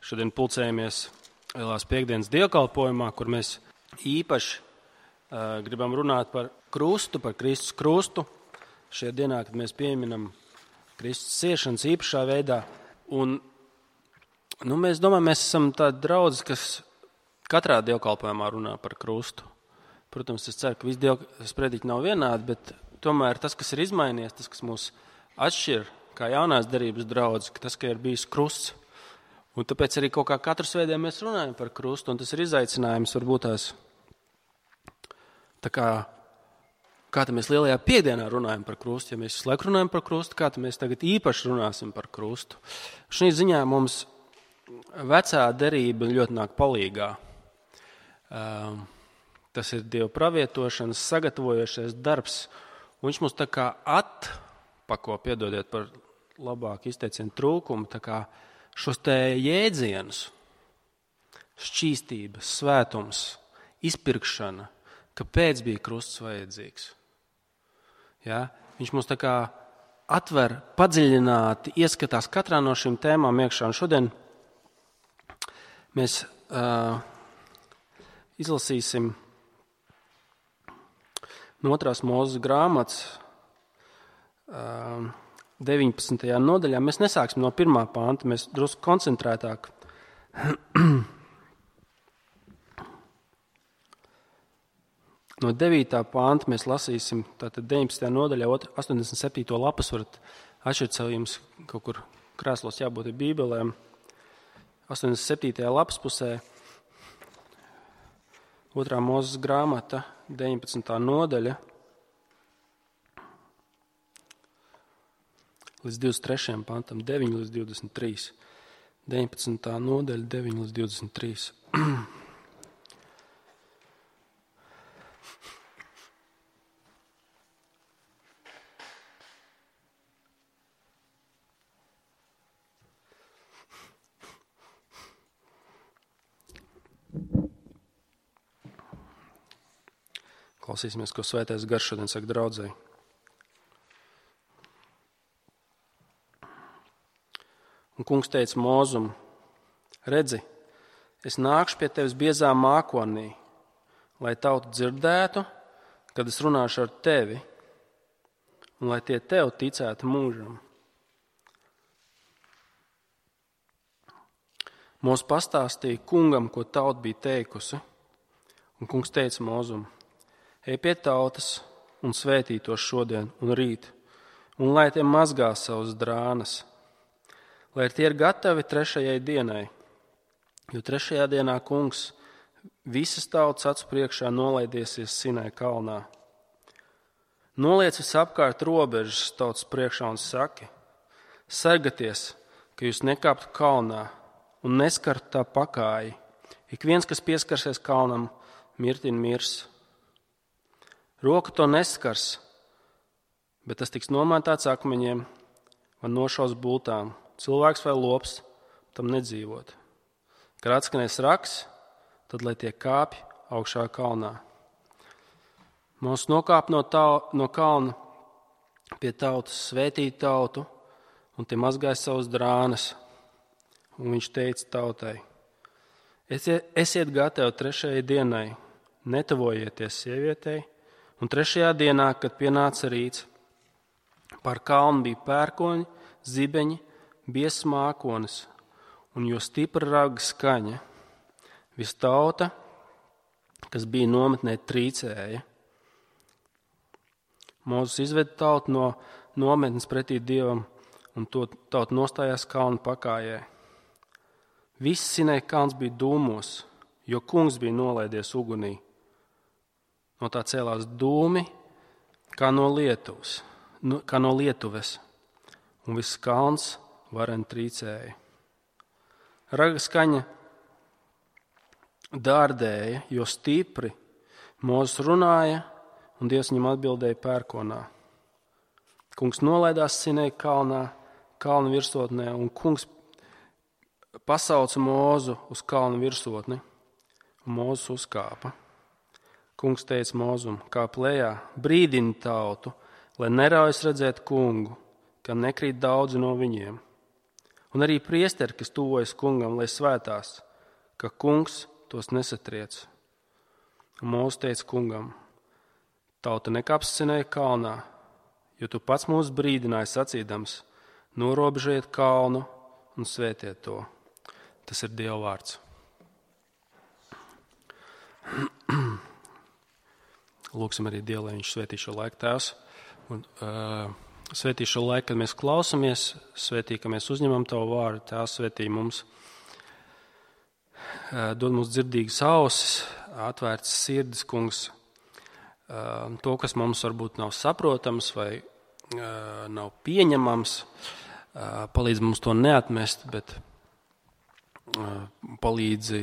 Šodien pulcējamies Lielās Piektdienas dievkalpojumā, kur mēs īpaši gribam runāt par krustu, par Kristus krustu. Šajā dienā, kad mēs pieminam Kristus ciešanas īpašā veidā. Un, mēs domājam, mēs esam tādi draudzi, kas katrā dievkalpojumā runā par krustu. Protams, es ceru, ka visi sprediķi nav vienādi, bet tomēr tas, kas ir izmainījies, tas, kas mūs atšķir, kā jaunās derības draudzi, tas, ka ir bijis krusts. Un tāpēc arī kaut kā katru svētdienu mēs runājam par krustu, un tas ir izaicinājums varbūt tās. Tā kā mēs Lielajā Piektdienā runājam par krustu, ja mēs visu laiku runājam par krustu, kā mēs tagad īpaši runāsim par krustu. Šī ziņā mums vecā derība ļoti nāk palīgā. Tas ir Dieva pravietošanas, sagatavojošais darbs, un viņš mums tā kā atpako, piedodiet par labāku izteicienu trūkumu, tā kā šos te jēdzienus, šķīstība, svētums, izpirkšana, kāpēc bija krusts vajadzīgs. Ja? Viņš mums tā kā atver padziļināti, ieskatās katrā no šīm tēmām iekšā. Un šodien mēs izlasīsim no 2. Mūzes grāmatas 19. nodaļā. Mēs nesāksim no 1. panta, mēs drusku koncentrētāk. No 9. panta mēs lasīsim, tātad 19. nodaļā, 87. lapas varat atšķirt sev jums kaut kur krēslos jābūt bībelēm. 87. lapas pusē, 2. Mūzes grāmata, 19. nodaļa, līdz 23. pantam, 9 līdz 23. 19. nodaļa, 9 līdz 23. Klausīsimies, ko Svētais Gars šodien saka draudzei. Un kungs teica Mūzum: redzi, es nākšu pie tevis biezā mākonī, lai tauta dzirdētu, kad es runāšu ar tevi, un lai tie tev ticētu mūžam. Mūs pastāstīja kungam, ko tauta bija teikusi, un kungs teica Mūzum: ej pie tautas un svētī tos šodien un rīt, un lai tie mazgā savus drānas, lai tie ir gatavi 3. dienai, jo 3. dienā kungs visas tautas acu priekšā nolaidiesies Sinai kalnā. Noliec visapkārt robežas tautas priekšā un saki: sargaties, ka jūs nekāptu kalnā un neskartu tā pakāji. Ik viens, kas pieskarsies kalnam, mirtin mirs. Roka to neskars, bet tas tiks nomētāts akmeņiem vai nošaus bultām. Cilvēks vai lops tam nedzīvot. Kad atskanēs raks, tad lai tie kāpj augšā kalnā. Mūs nokāp no kalna pie tautas, svētīt tautu, un tie mazgāja savus drānas. Un viņš teica tautai: esiet gatavi 3. dienai, netavojieties sievietei, un 3. dienā, kad pienāca rīts, pār kalnu bija pērkoņi, zibeņi, biezs mākonis, un jo stipra raga skaņa. Visa tauta, kas bija nometnē, trīcēja. Mūzes izveda tautu no nometnes pretī Dievam, un to tauta nostājās kalnu pakājē. Viss Sinai kalns bija dūmos, jo kungs bija nolaidies ugunī. No tā cēlās dūmi, kā no lietuves, un viss kalns varen trīcēja. Raga skaņa dārdēja, jo stipri Mūzes runāja, un Dievs viņam atbildēja pērkonā. Kungs nolaidās Sinai kalnā, kalna virsotnē, un kungs pasauca Mūzu uz kalna virsotni, un Mūzes uzkāpa. Kungs teica Mūzum: kāp lejā, brīdini tautu, lai neraujas redzēt kungu, kam nekrīt daudzi no viņiem. Un arī priesteri, kas tuvojas kungam, lai svētās, ka kungs tos nesatriec. Un Mūzes teica kungam: tauta nekapscinēja kalnā, jo tu pats mūs brīdināji sacīdams: norobežojiet kalnu un svētiet to. Tas ir Dieva vārds. Lūksim arī Dievu, lai viņš svētī šo laiku, Tēvs. Un svētī šo laiku, kad mēs klausamies, svētī, ka mēs uzņemam Tavu vārdu, Tēvs, svētī mums. Dod mums dzirdīgas ausis, atvērtas sirdis, kungs. To, kas mums varbūt nav saprotams vai nav pieņemams, palīdz mums to neatmest, bet palīdzi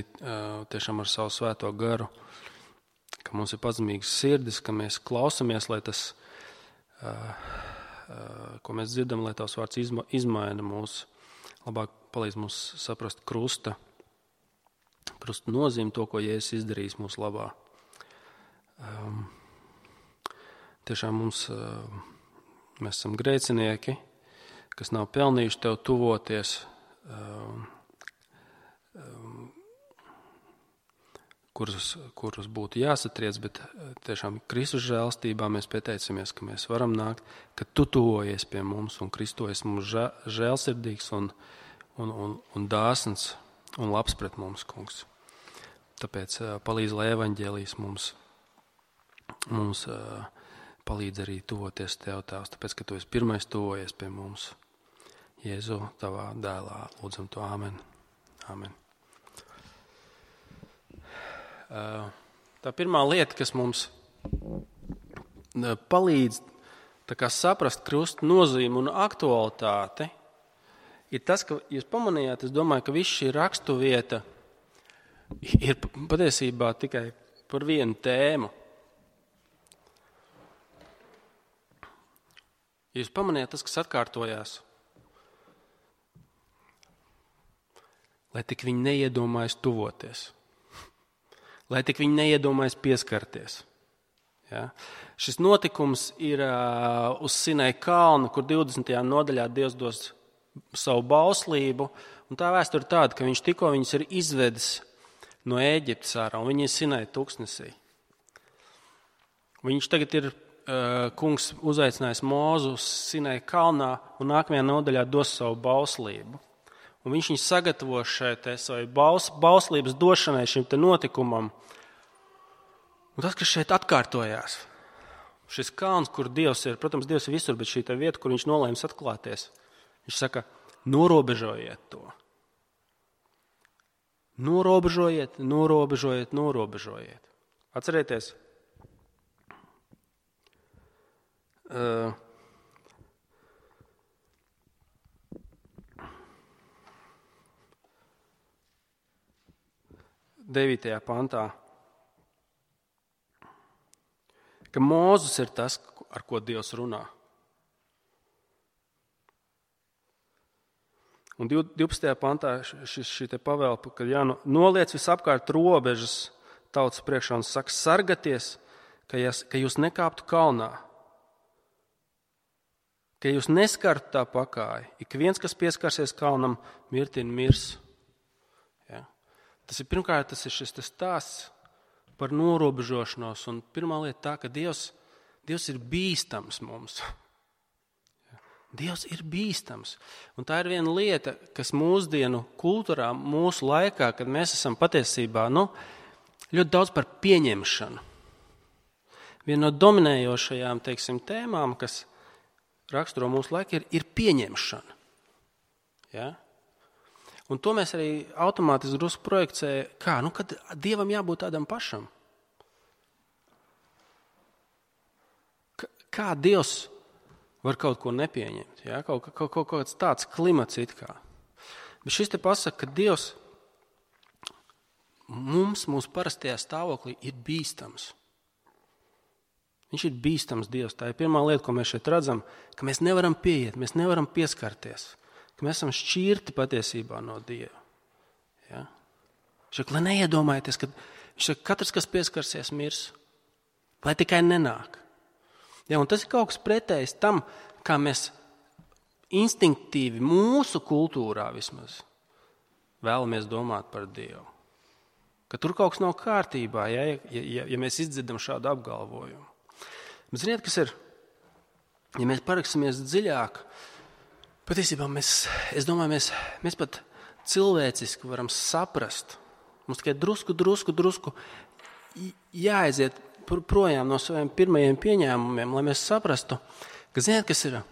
tiešām ar savu svēto garu, ka mums ir pazemīgas sirdis, ka mēs klausamies, lai tas, ko mēs dzirdam, lai Tavs vārds izmaina mūs, labāk palīdz mums saprast krusta nozīmi, to, ko Jēzus izdarījis mūsu labā. Tiešām mēs esam grēcinieki, kas nav pelnījuši Tev tuvoties, kurus būtu jāsatriec, bet tiešām Kristus žēlstībā mēs pieteicamies, ka mēs varam nākt, ka Tu tuvojies pie mums un Kristus mums žēlsirdīgs un dāsns un labs pret mums, kungs. Tāpēc palīdz, lai evaņģēlijs mums palīdz arī tuvoties Tev, Tēvs, tāpēc, ka Tu esi pirmais tuvojies pie mums. Jēzu, Tavā dēlā, lūdzam to, āmen. Āmen. Tā pirmā lieta, kas mums palīdz saprast krusta nozīmi un aktualitāti, ir tas, ka jūs pamanījāt, es domāju, ka viss šī rakstuvieta ir patiesībā tikai par vienu tēmu. Jūs pamanījāt tas, kas atkārtojās, lai tik viņi neiedomājas tuvoties. Lai tik viņi neiedomājas pieskarties. Ja? Šis notikums ir uz Sinai kalnu, kur 20. nodaļā Dievs dos savu bauslību. Un tā vēsture ir tāda, ka viņš tikko viņus ir izvedis no Ēģiptes ārā, un viņi ir Sinai tuksnesī. Viņš tagad ir, kungs uzaicinājis Mūzu uz Sinai kalnā, un nākamajā nodaļā dos savu bauslību. Un viņš viņu sagatavo šeit savu bauslības došanai šim te notikumam. Un tas, kas šeit atkārtojās, šis kalns, kur Dievs ir, protams, Dievs ir visur, bet šī te vieta, kur viņš nolēms atklāties, viņš saka, norobežojiet to. Norobežojiet. Atcerieties, devītajā pantā, ka Mūzes ir tas, ar ko Dievs runā. Un 12. pantā šī te pavēle, ka noliec visapkārt robežas tautas priekšā un saka, sargaties, ka jūs nekāptu kalnā, ka jūs neskartu tā pakāja. Ik viens, kas pieskarsies kalnam, mirtin mirs. Ja? Tas ir pirmkārt, tas ir šis stāsts par norobežošanos. Un pirmā lieta tā, ka Dievs ir bīstams mums. Dievs ir bīstams. Un tā ir viena lieta, kas mūsdienu kultūrā, mūsu laikā, kad mēs esam patiesībā ļoti daudz par pieņemšanu. Viena no dominējošajām, tēmām, kas raksturo mūsu laiku, ir pieņemšana. Ja? Un to mēs arī automātiski drusku projekcējam, kad Dievam jābūt tādam pašam. Kā Dievs var kaut ko nepieņemt, ja? kaut kāds tāds klimats it kā. Bet šis te pasaka, ka Dievs mūsu parastajā stāvoklī ir bīstams. Viņš ir bīstams Dievs. Tā ir pirmā lieta, ko mēs šeit redzam, ka mēs nevaram pieiet, mēs nevaram pieskarties, ka mēs esam šķirti patiesībā no Dieva. Ja? Lai neiedomājieties, ka katrs, kas pieskarsies, mirs, lai tikai nenāk. Ja, un tas ir kaut kas pretējs tam, kā mēs instinktīvi mūsu kultūrā vismaz vēlamies domāt par Dievu. Ka tur kaut kas nav kārtībā, ja mēs izdzirdam šādu apgalvojumu. Bet ziniet, kas ir? Ja mēs parakstāmies dziļāk, patiesībā es domāju, mēs pat cilvēciski varam saprast. Mums tikai drusku jāaiziet projām no saviem pirmajiem pieņēmumiem, lai mēs saprastu, ka ziniet, kas ir?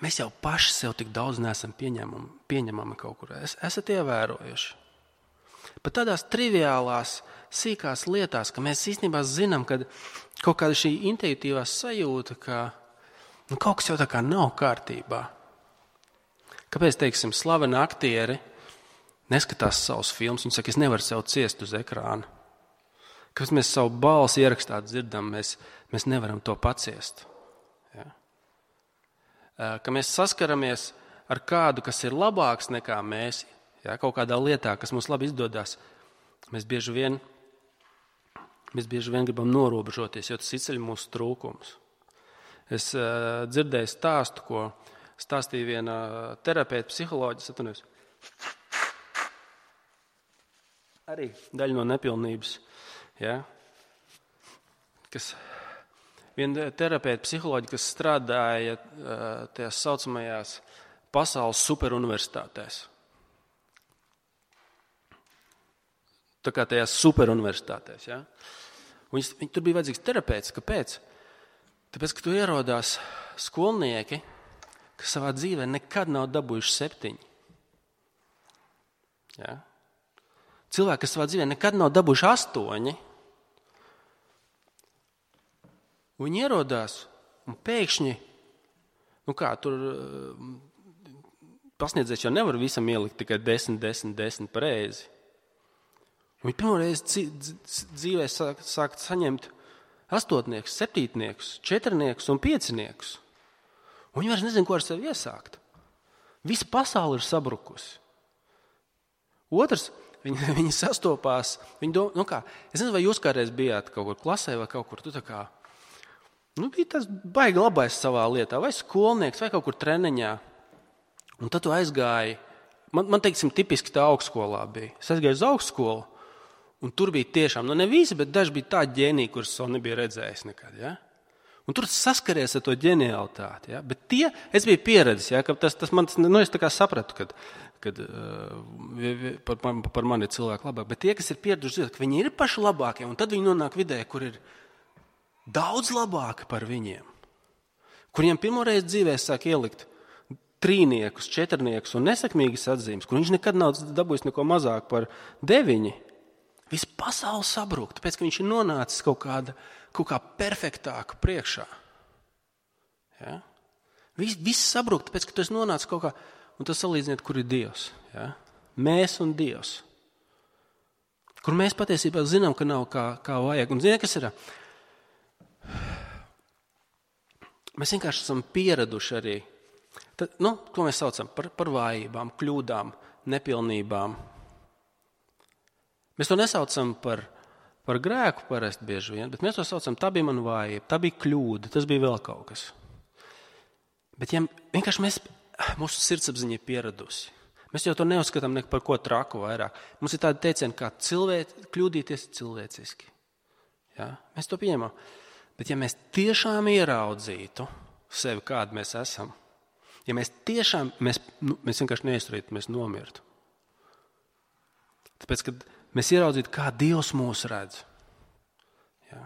Mēs jau paši sev tik daudz neesam pieņemami kaut kur. Esat ievērojuši. Pat tādās triviālās, sīkās lietās, ka mēs īstenībā zinām, ka kaut kāda šī intuitīvā sajūta, ka kaut kas jau tā kā nav kārtībā. Kāpēc, teiksim, slaveni aktieri neskatās savus filmus, viņi saka, es nevaru sev ciest uz ekrāna. Kāpēc mēs savu balsi ierakstā dzirdam, mēs nevaram to paciest. Ja? Ka mēs saskaramies ar kādu, kas ir labāks nekā mēs, ja? Kaut kādā lietā, kas mums labi izdodas, mēs bieži vien gribam norobežoties, jo tas izceļ mūsu trūkumus. Es dzirdēju stāstu, ko stāstīja viena terapeita, psiholoģis, arī daļa no nepilnības. Ja? Viena terapeita, psiholoģi, kas strādāja tajās saucamajās pasaules superuniversitātēs. Tā kā tajās superuniversitātēs. Ja? Viņi tur bija vajadzīgs terapeits. Kāpēc? Tāpēc, ka tur ierodās skolnieki, kas savā dzīvē nekad nav dabūjuši 7. Ja? Cilvēki, kas savā dzīvē nekad nav dabūjuši 8. Viņi ierodās un pēkšņi, tur pasniedzējs jau nevar visam ielikt tikai 10 pareizi. Viņi pirmo reizi dzīvē sākt saņemt 8, 7, 4 un 5. Viņi vairs nezina, ko ar sevi iesākt. Visa pasaule ir sabrukusi. Otrs, viņi sastopās, viņi domā, es nezinu, vai jūs kādreiz bijāt kaut kur klasē vai kaut kur, tu tā kā, bija tas baigi labais savā lietā, vai skolnieks, vai kaut kur treniņā. Un tad tu aizgāji, man teiksim, tipiski tā augstskolā bija. Es aizgāju uz augstskolu, un tur bija tiešām, ne visi, bet daži bija tā ģēniji, kurus vēl nebija redzējis nekad, ja? Un tur saskaries ar to ģenialitāti, ja? Bet es biju pieredzis, ja? Ka tas man, es tā kā sapratu, kad par mani ir cilvēki labāk, bet tie, kas ir pieraduši, ka viņi ir paši labākie, un tad viņi nonāk vidē, kur ir daudz labāki par viņiem, kuriem pirmoreiz dzīvē sāk ielikt 3, 4 un nesekmīgas atzīmes, kur viņš nekad nav dabūjis neko mazāk par 9. Viss pasaule sabrūk, tāpēc, ka viņš ir nonācis kaut kā perfektāku priekšā. Ja? Viss sabrūk, tāpēc, ka tu esi nonācis kaut kā, un tas salīdziniet, kur ir Dievs. Ja? Mēs un Dievs. Kur mēs patiesībā zinām, ka nav kā vajag. Un ziniet, kas ir? Mēs vienkārši esam pieraduši arī, ko mēs saucam par vājībām, kļūdām, nepilnībām. Mēs to nesaucam par grēku parasti bieži vien, bet mēs to saucam, tā bija man vājība, tā bija kļūda, tas bija vēl kaut kas. Bet ja vienkārši mūsu sirdsapziņa ir pieradusi, mēs jau to neuzskatām par ko traku vairāk. Mums ir tādi teicieni, kā kļūdīties cilvēciski. Ja? Mēs to pieņemam. Bet ja mēs tiešām ieraudzītu sevi, kādi mēs esam, ja mēs tiešām, mēs vienkārši neizturītu, mēs nomirtu. Tāpēc, kad mēs ieraudzītu, kā Dievs mūs redz. Ja?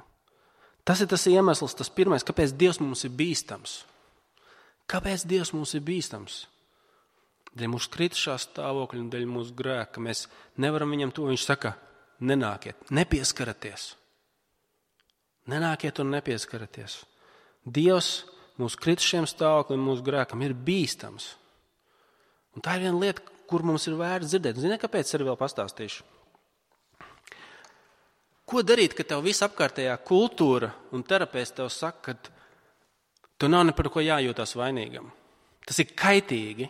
Tas ir tas iemesls, tas pirmais, kāpēc Dievs mums ir bīstams. Kāpēc Dievs mums ir bīstams? Dēļ mūsu kritušā stāvokļa un dēļ mūsu grēka, ka mēs nevaram viņam to. Viņš saka, nenākiet, nepieskaraties. Nenākiet un nepieskaraties. Dievs mūsu kritušiem stāvokļiem, mūsu grēkam ir bīstams. Un tā ir viena lieta, kur mums ir vērts dzirdēt. Ziniet, kāpēc arī vēl pastāstīšu? Ko darīt, kad tev visa apkārtējā kultūra un terapeits tev saka, ka tu nav ne par ko jājūtās vainīgam? Tas ir kaitīgi.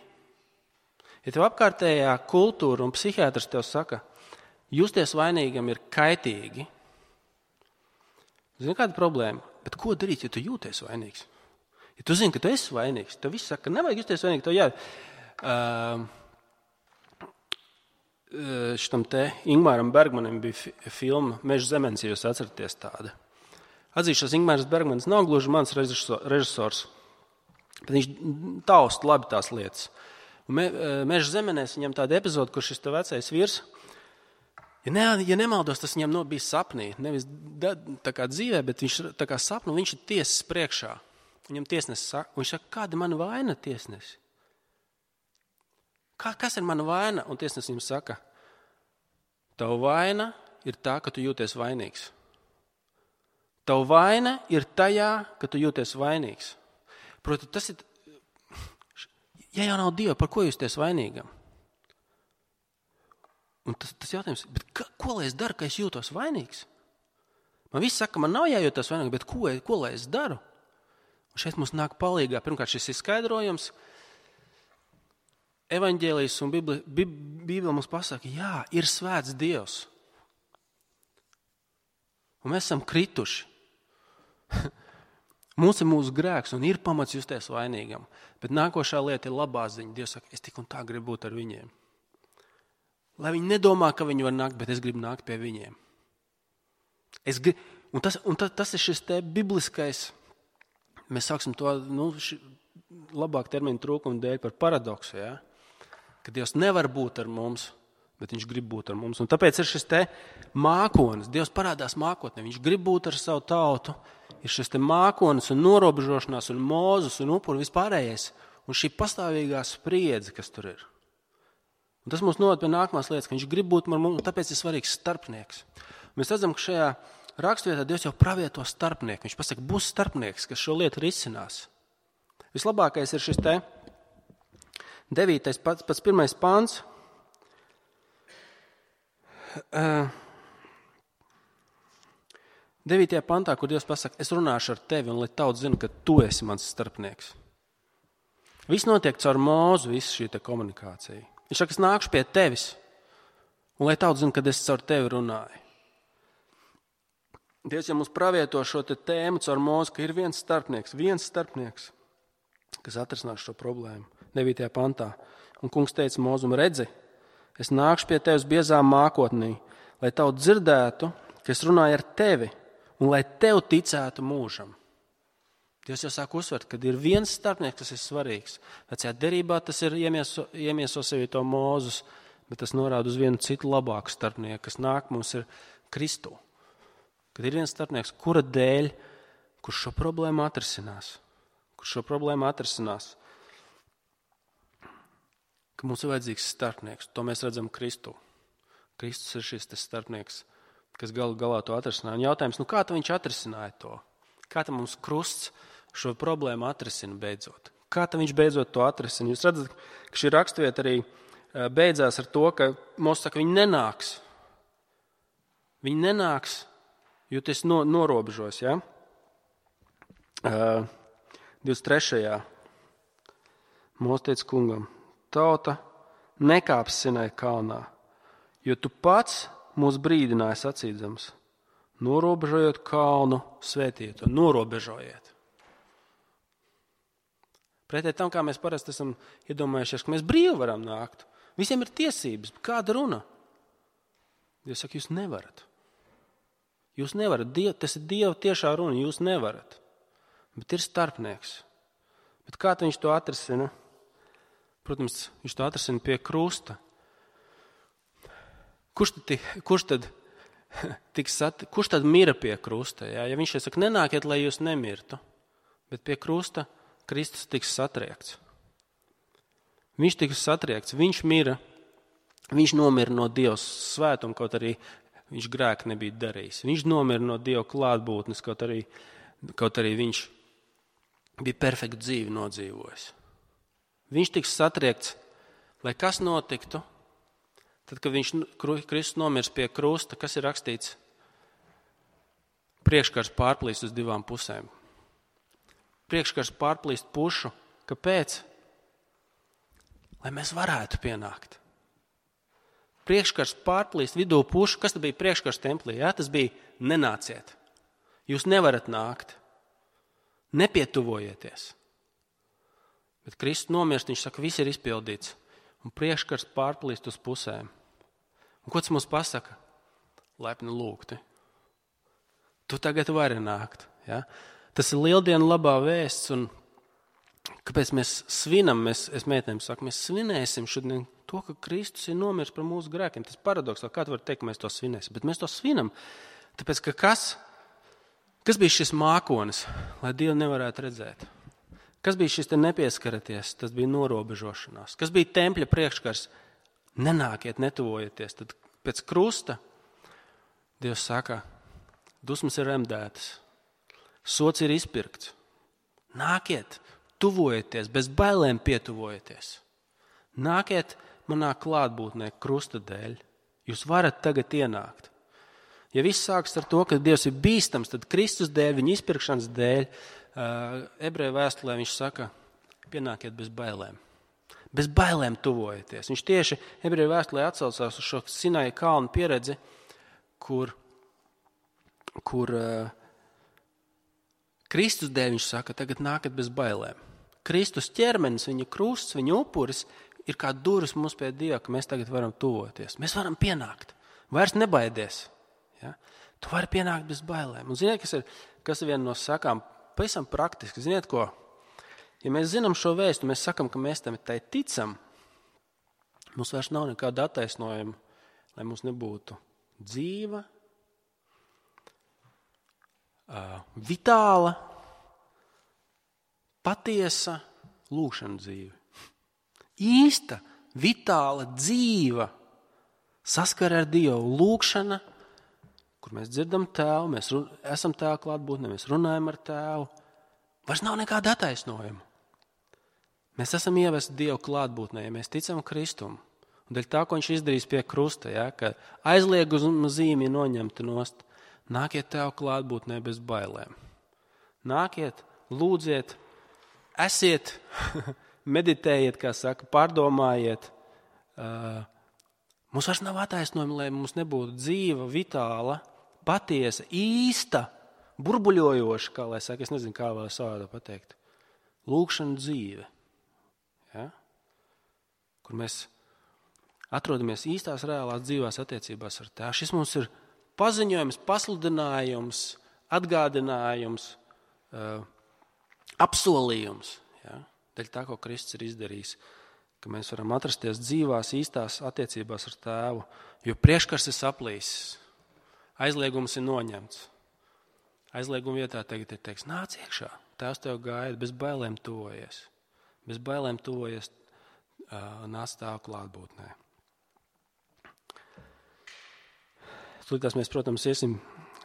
Ja tev apkārtējā kultūra un psihiatrs tev saka, justies vainīgam ir kaitīgi, zini, kāda problēma? Bet ko darīt, ja tu jūties vainīgs? Ja tu zini, ka tu esi vainīgs. Tev viss saka, ka nevajag justies vainīgi. Tev šitam te Ingmāram Bergmanim bija filma Meža zemenis, ja jūs atceraties tāda. Atzīšos, Ingmārs Bergmanis nav gluži mans režisors, bet viņš taust labi tās lietas. Un Meža zemenēs viņam tāda epizode, kur šis te vecais vīrs, ja nemaldos, tas viņam bija sapnī, nevis tā kā dzīvē, bet viņš tā kā sapnu, viņš ir tiesas priekšā. Viņam tiesnesis saka, viņš saka, kāda mana vaina, tiesnesi? Kas ir mana vaina? Un tiesnesis viņam saka, tava vaina ir tā, ka tu jūties vainīgs. Tava vaina ir tajā, ka tu jūties vainīgs. Proti, tas ir, ja jau nav Dieva, par ko jūties vainīgam? Un tas jautājums, bet ko lai es daru, ka es jūtos vainīgs? Man viss saka, man nav jājūtas vainīgs, bet ko lai es daru? Un šeit mums nāk palīgā. Pirmkārt, šis ir skaidrojums. Evaņģēlijas un Bībele mums pasaka, jā, ir svēts Dievs. Un mēs esam krituši. Mums ir mūsu grēks un ir pamats justies vainīgam. Bet nākošā lieta ir labā ziņa. Dievs saka, es tik un tā gribu būt ar viņiem. Lai viņi nedomā, ka viņi var nākt, bet es gribu nākt pie viņiem. Tas ir šis te bibliskais, mēs sāksim to labāk terminu trūkumu dēļ par paradoksu, ja? Ka Dievs nevar būt ar mums, bet viņš grib būt ar mums. Un tāpēc ir šis te mākonis. Dievs parādās mākotnē, viņš grib būt ar savu tautu. Ir šis te mākonis un norobežošanās un Mūzes un upuri vispārējais. Un šī pastāvīgā spriedze, kas tur ir. Un tas mums noved pie nākamās lietas, ka viņš grib būt ar mums, un tāpēc ir svarīgs starpnieks. Mēs redzam, ka šajā raksturvietā Dievs jau pravieto starpnieku. Viņš pasaka, būs starpnieks, kas šo lietu risinās. Vislabākais ir šis te 9. pats 1. pāns. 9. pantā, kur Dievs pasaka, es runāšu ar tevi, un lai tauts zina, ka tu esi mans starpnieks. Viss notiek caur Mūzu, viss šī te komunikācija. Viņš saka, es nākšu pie tevis, un lai tauts zina, ka es caur tevi runāju. Dievs jau mums pravieto šo tēmu caur Mūzu, ka ir viens starpnieks, kas atrisinās šo problēmu. 9. pantā. Un kungs teica Mūzum, redzi, es nākšu pie tevis biezā mākotnī, lai tavu dzirdētu, ka es runāju ar tevi, un lai tev ticētu mūžam. Dievs jau sāk uzsvert, ka ir viens starpnieks, kas ir svarīgs. Vecajā derībā tas ir iemieso sevi to Mūzus, bet tas norāda uz vienu citu labāku starpnieku, kas nāk mums ir Kristu. Kad ir viens starpnieks, kura dēļ, kurš šo problēmu atrisinās. Ka mums ir vajadzīgs starpnieks. To mēs redzam Kristu. Kristus ir šis starpnieks, kas galā to atrisināja. Un jautājums, kā viņš atrisināja to? Kā mums krusts šo problēmu atrisina beidzot? Kā viņš beidzot to atrisina? Jūs redzat, ka šī raksturvieta arī beidzās ar to, ka Mūzes saka, viņi nenāks. Viņi nenāks, jo tas norobežos, ja? 23. Mūzes teica kungam, tauta nekāps Sinai kalnā, jo tu pats mūs brīdināji sacīdams, norobežojot kalnu, svētiet un norobežojiet. Pretēji tam, kā mēs parasti esam iedomājušies, ka mēs brīvi varam nākt. Visiem ir tiesības, kāda runa? Dievs saka, jūs nevarat. Jūs nevarat, tas ir Dieva tiešā runa, jūs nevarat. Bet ir starpnieks. Bet kā viņš to atrisina? Protams, viņš to atrisina pie krusta. Kurš tad mira pie krusta? Ja viņš saka, nenākiet, lai jūs nemirtu, bet pie krusta Kristus tiks satriekts. Viņš tiks satriekts, viņš mira, viņš nomira no Dieva svētuma, kaut arī viņš grēku nebija darījis. Viņš nomira no Dieva klātbūtnes, kaut arī viņš bija perfektu dzīvi nodzīvojis. Viņš tiks satriekts, lai kas notiktu, tad, kad Kristus nomirs pie krusta, kas ir rakstīts? Priekškars pārplīst uz divām pusēm. Priekškars pārplīst pušu. Kāpēc? Lai mēs varētu pienākt. Priekškars pārplīst vidū pušu. Kas tad bija priekškars templī? Jā, tas bija nenāciet. Jūs nevarat nākt. Nepietuvojieties. Bet Kristus nomirst, viņš saka, viss ir izpildīts. Un priekškars pārplīst uz pusēm. Un ko tas mums pasaka? Lepni lūgti. Tu tagad vari nākt. Ja? Tas ir lieldienu labā vēsts. Un kāpēc mēs svinam? Es meitenēm saku, mēs svinēsim šodien to, ka Kristus ir nomirs par mūsu grēkiem. Tas paradoks, kā tu vari teikt, ka mēs to svinēsim. Bet mēs to svinam. Tāpēc, ka kas bija šis mākonis, lai Dievu nevarētu redzēt? Kas bija šis te nepieskaraties? Tas bija norobežošanās. Kas bija tempļa priekškars? Nenākiet, netuvojieties. Tad pēc krusta Dievs saka, dusmas ir remdētas. Sots ir izpirkts. Nākiet, tuvojieties, bez bailēm pietuvojieties. Nākiet manā klātbūtnē krusta dēļ. Jūs varat tagad ienākt. Ja viss sāks ar to, ka Dievs ir bīstams, tad Kristus dēļ, viņa izpirkšanas dēļ, Ebreju vēstulē viņš saka, pienākiet bez bailēm. Bez bailēm tuvojieties. Viņš tieši Ebreju vēstulē atsaucās uz šo Sinaja kalnu pieredzi, kur Kristus dēļ viņš saka, tagad nākat bez bailēm. Kristus ķermenis, viņa krusts, viņa upuris ir kā durvis mums pie Dieva, ka mēs tagad varam tuvoties. Mēs varam pienākt. Vairs nebaidies. Ja? Tu vari pienākt bez bailēm. Un ziniet, kas ir viena no sakām, pavisam praktiski. Ziniet ko? Ja mēs zinām šo vēstu, mēs sakam, ka mēs tam tai ticam, mums vairs nav nekāda attaisnojuma, lai mums nebūtu dzīva, vitāla, patiesa lūkšana dzīve. Īsta, vitāla, dzīva saskara ar Dievu lūkšana, kur mēs dzirdam Tēvu, mēs esam Tēva klātbūtnē, mēs runājam ar Tēvu. Vairs nav nekāda attaisnojuma. Mēs esam ievesti Dievu klātbūtnē, ja mēs ticam Kristum. Un dēļ tā, ko viņš izdarīs pie krusta, ja, ka aizlieguma zīme ir noņemta nost, nākiet Tēva klātbūtnē bez bailēm. Nākiet, lūdziet, esiet, meditējiet, kā saka, pārdomājiet. Mums vairs nav attaisnojuma, lai mums nebūtu dzīva, vitāla, patiesa, īsta, burbuļojoša, kā lai saka, es nezinu, kā vēl savādā pateikt. Lūkšana dzīve, ja? Kur mēs atrodamies īstās reālās dzīvās attiecībās ar Tēvu. Šis mums ir paziņojums, pasludinājums, atgādinājums, apsolījums, ja? Dēļ tā, ko Kristus ir izdarījis, ka mēs varam atrasties dzīvās, īstās attiecībās ar Tēvu, jo priekškars ir saplīsis, aizliegums ir noņemts. Aizlieguma vietā tagad ir teiks, nāc iekšā, Tēvs tev gaida, bez bailēm tuvojies. Bez bailēm tuvojies, nāc Tēva klātbūtnē. Tūlītās mēs, protams, iesim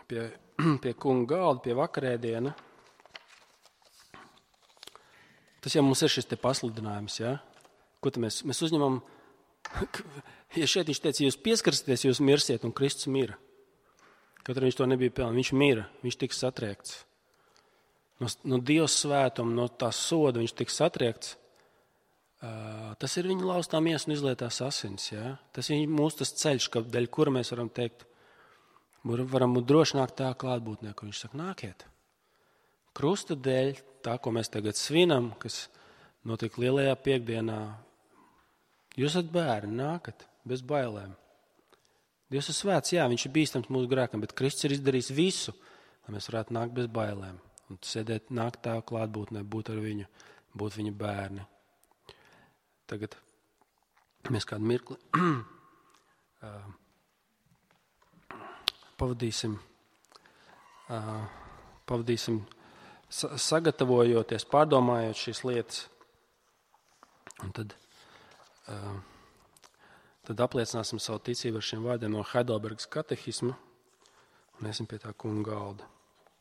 pie kunga galda, pie vakarēdiena. Tas jau mums ir šis te pasludinājums, ja? Ko tad mēs uzņemam? Ja šeit viņš teica, jūs pieskarsities, jūs mirsiet, un Kristus mira. Kaut arī viņš to nebija pelnījis, viņš mira, viņš tika satriekts. No Dieva svētuma, no tā soda viņš tika satriekts. Tas ir viņa laustā miesa un izlietās asins. Ja? Tas ir mūsu tas ceļš, dēļ kura mēs varam teikt, varam droši nākt tā klātbūtnē, ko viņš saka, nākiet. Krusta dēļ, tā, ko mēs tagad svinam, kas notiek lielajā piekdienā, jūs esat bērni, nākat bez bailēm. Dievs ir svēts, jā, viņš ir bīstams mūsu grēkam, bet Kristus ir izdarījis visu, lai mēs varētu nākt bez bailēm. Un sēdēt, nākt tā klātbūtnē, būt ar viņu, būt viņa bērni. Tagad mēs kādu mirkli pavadīsim sagatavojoties, pārdomājot šīs lietas. Un tad apliecināsim savu ticību ar šiem vārdiem no Heidelbergas katehisma un iesim pie tā kunga galda.